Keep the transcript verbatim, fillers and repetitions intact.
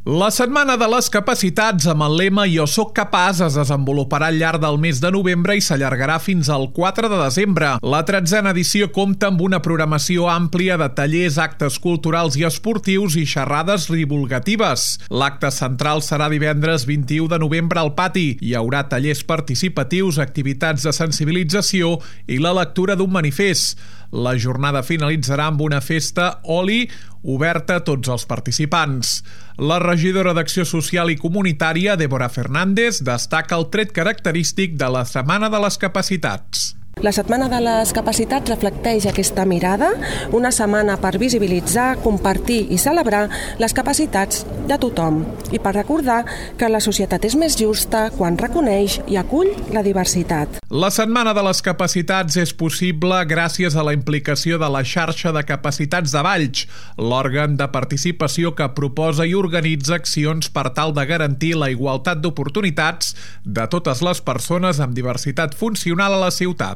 La Setmana de les Capacitats amb el lema Jo soc capaç es desenvoluparà al llarg del mes de novembre i s'allargarà fins al quatre de desembre. La tretzena edició compta amb una programació àmplia de tallers, actes culturals i esportius i xerrades divulgatives. L'acte central serà divendres vint-i-u de novembre al pati. Hi haurà tallers participatius, activitats de sensibilització i la lectura d'un manifest. La jornada finalitzarà amb una festa oli oberta a tots els participants. La regidora d'Acció Social i Comunitària, Débora Fernández, destaca el tret característic de la Setmana de les Capacitats. La Setmana de les Capacitats reflecteix aquesta mirada, una setmana per visibilitzar, compartir i celebrar les capacitats de tothom i per recordar que la societat és més justa quan reconeix i acull la diversitat. La Setmana de les Capacitats és possible gràcies a la implicació de la xarxa de capacitats de Valls, l'òrgan de participació que proposa i organitza accions per tal de garantir la igualtat d'oportunitats de totes les persones amb diversitat funcional a la ciutat.